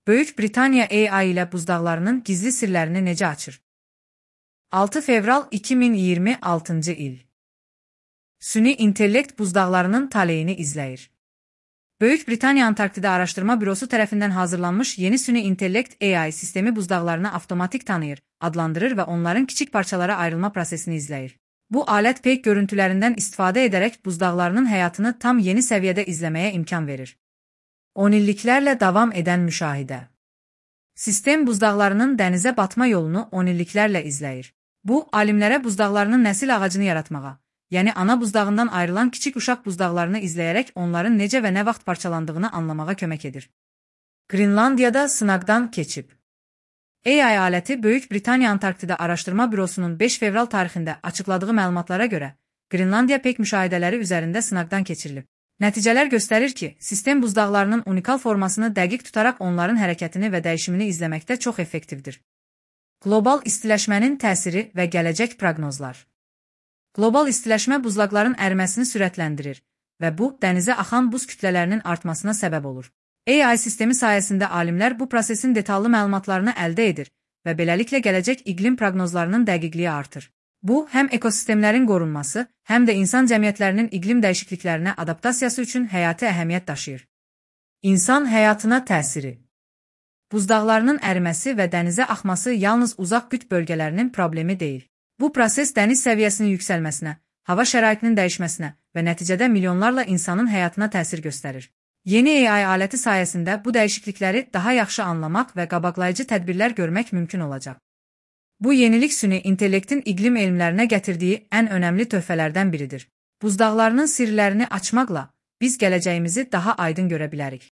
Böyük Britaniya AI ilə buzdağlarının gizli sirlərini necə açır? 6 fevral 2026-cı il. Süni intellekt buzdağlarının taleyini izləyir. Böyük Britaniya Antarktida Araşdırma Bürosu tərəfindən hazırlanmış yeni süni intellekt AI sistemi buzdağlarını avtomatik tanıyır, adlandırır və onların kiçik parçalara ayrılma prosesini izləyir. Bu alət peyk görüntülərindən istifadə edərək buzdağlarının həyatını tam yeni səviyyədə izləməyə imkan verir. 10 illiklərlə davam edən müşahidə. Sistem buzdağlarının dənizə batma yolunu 10 illiklərlə izləyir. Bu, alimlərə buzdağlarının nəsil ağacını yaratmağa, yəni ana buzdağından ayrılan kiçik uşaq buzdağlarını izləyərək onların necə və nə vaxt parçalandığını anlamağa kömək edir. Qrinlandiyada sınaqdan keçib. AI aləti Böyük Britaniya Antarktida Araşdırma Bürosunun 5 fevral tarixində açıqladığı məlumatlara görə, Qrinlandiya peyk müşahidələri üzərində sınaqdan keçirilib. Nəticələr göstərir ki, sistem buzdağlarının unikal formasını dəqiq tutaraq onların hərəkətini və dəyişimini izləməkdə çox effektivdir. Qlobal istiləşmənin təsiri və gələcək proqnozlar. Qlobal istiləşmə buzlaqların əriməsini sürətləndirir və bu, dənizə axan buz kütlələrinin artmasına səbəb olur. AI sistemi sayəsində alimlər bu prosesin detallı məlumatlarını əldə edir və beləliklə gələcək iqlim proqnozlarının dəqiqliyi artır. Bu, həm ekosistemlərin qorunması, həm də insan cəmiyyətlərinin iqlim dəyişikliklərinə adaptasiyası üçün həyati əhəmiyyət daşıyır. İnsan həyatına təsiri. Buzdağlarının əriməsi və dənizə axması yalnız uzaq qütb bölgələrinin problemi deyil. Bu proses dəniz səviyyəsinin yüksəlməsinə, hava şəraitinin dəyişməsinə və nəticədə milyonlarla insanın həyatına təsir göstərir. Yeni AI aləti sayəsində bu dəyişiklikləri daha yaxşı anlamaq və qabaqlayıcı tədbirlər görmək mümkün olacaq. Bu yenilik süni intellektin iqlim elmlərinə gətirdiyi ən önəmli töhfələrdən biridir. Buzdağlarının sirlərini açmaqla biz gələcəyimizi daha aydın görə bilərik.